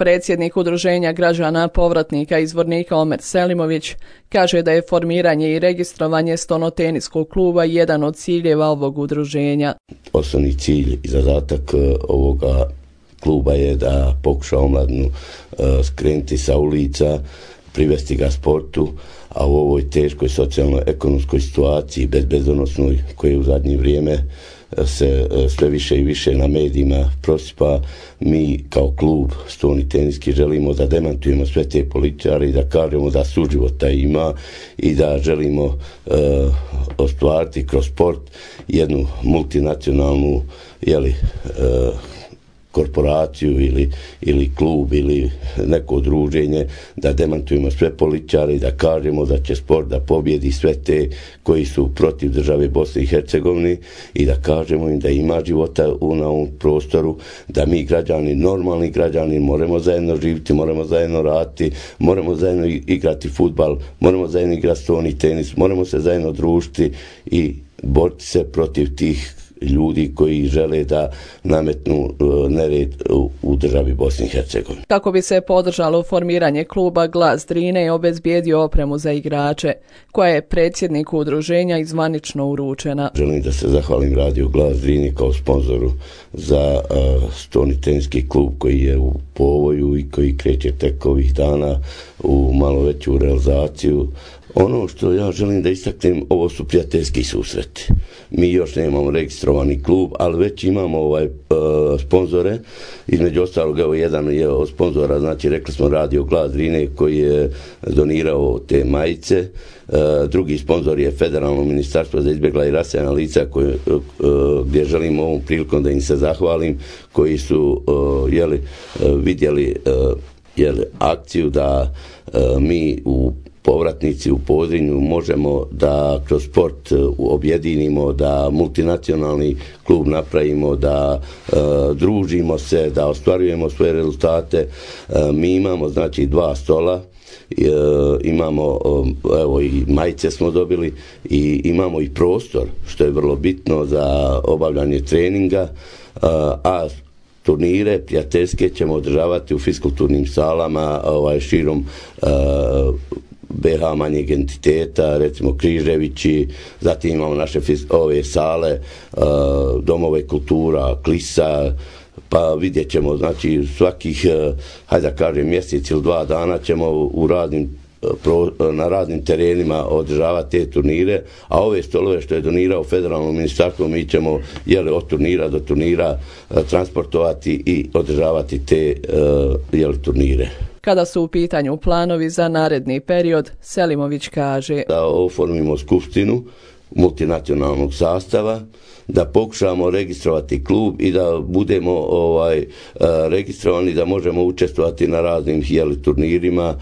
Predsjednik Udruženja građana povratnika iz Zvornika Omer Selimović kaže da je formiranje i registrovanje stonoteniskog kluba jedan od ciljeva ovog udruženja. Osnovni cilj i zadatak ovoga kluba je da pokuša omladinu skrenuti sa ulica, privesti ga sportu, a u ovoj teškoj socijalno-ekonomskoj situaciji bezbednosnoj koje u zadnje vrijeme se sve više i više na medijima prosipa, mi kao klub stoni teniski želimo da demantujemo sve te političare i da kažemo da suživota ima i da želimo ostvariti kroz sport jednu multinacionalnu korporaciju ili klub ili neko udruženje, da demantujemo sve političare i da kažemo da će sport da pobjedi sve te koji su protiv države Bosne i Hercegovine i da kažemo im da ima života na ovom prostoru, da mi građani, normalni građani, moramo zajedno živjeti, moramo zajedno raditi, moramo zajedno igrati fudbal, moramo zajedno igrati stoni tenis, moramo se zajedno družiti i boriti se protiv tih ljudi koji žele da nametnu nered u državi Bosne i Hercegovine. Kako bi se podržalo formiranje kluba, Glas Drine je obezbijedio opremu za igrače, koja je predsjedniku udruženja i zvanično uručena. Želim da se zahvalim Radio Glas Drine kao sponzoru za stoni teniski klub koji je u povoju i koji kreće tek ovih dana u malo veću realizaciju. Ono što ja želim da istaknem, ovo su prijateljski susreti. Mi još nemamo registrovani klub, ali već imamo sponzore. Između ostalog, evo jedan je od sponzora, znači rekli smo Radio Glas Drine koji je donirao te majice. Drugi sponzor je Federalno ministarstvo za izbjegla i raseljena lica gdje želim ovom prilikom da im se zahvalim, koji su vidjeli akciju da mi povratnici u Podrinju možemo da kroz sport objedinimo, da multinacionalni klub napravimo, da družimo se, da ostvarujemo svoje rezultate. Mi imamo znači 2 stola, imamo, evo i majice smo dobili i imamo i prostor, što je vrlo bitno za obavljanje treninga, a turnire prijateljske ćemo održavati u fiskulturnim salama širom BH manjeg entiteta, recimo Križevići, zatim imamo naše ove sale, domove kultura, Klisa, pa vidjet ćemo, znači svakih, hajde da kažem, mjesec ili 2 dana ćemo na raznim terenima održavati te turnire, a ove stolove što je donirao Federalno ministarstvo mi ćemo od turnira do turnira transportovati i održavati te turnire. Kada su u pitanju planovi za naredni period, Selimović kaže da oformimo skupštinu multinacionalnog sastava, da pokušamo registrovati klub i da budemo registrovani, da možemo učestvovati na raznim turnirima,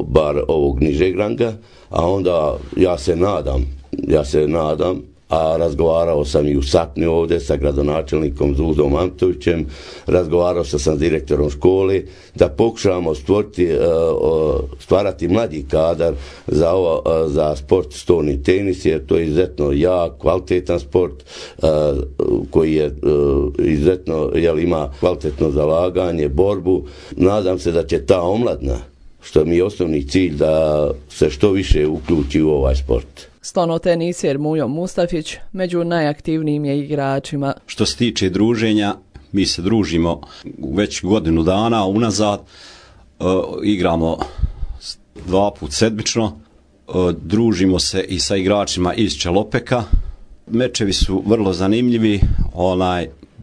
bar ovog nižeg ranga, a onda ja se nadam, a razgovarao sam i u Satni ovdje sa gradonačelnikom Zuzom Amtovićem, razgovarao sam sa direktorom škole, da pokušamo stvarati mladi kadar za sport stoni tenis, jer to je izuzetno jak, kvalitetan sport koji je izuzetno ima kvalitetno zalaganje, borbu. Nadam se da će ta omladina, što mi je osnovni cilj, da se što više uključi u ovaj sport. Stonoteniser Mujo Mustafić među najaktivnijim je igračima. Što se tiče druženja, mi se družimo već godinu dana unazad, igramo 2 puta sedmično, družimo se i sa igračima iz Čelopeka. Mečevi su vrlo zanimljivi,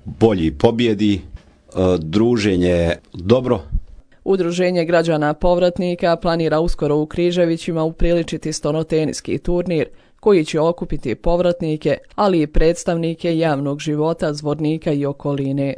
bolji pobjedi, druženje je dobro. Udruženje građana povratnika planira uskoro u Križevićima upriličiti stonoteniski turnir koji će okupiti povratnike, ali i predstavnike javnog života Zvornika i okoline.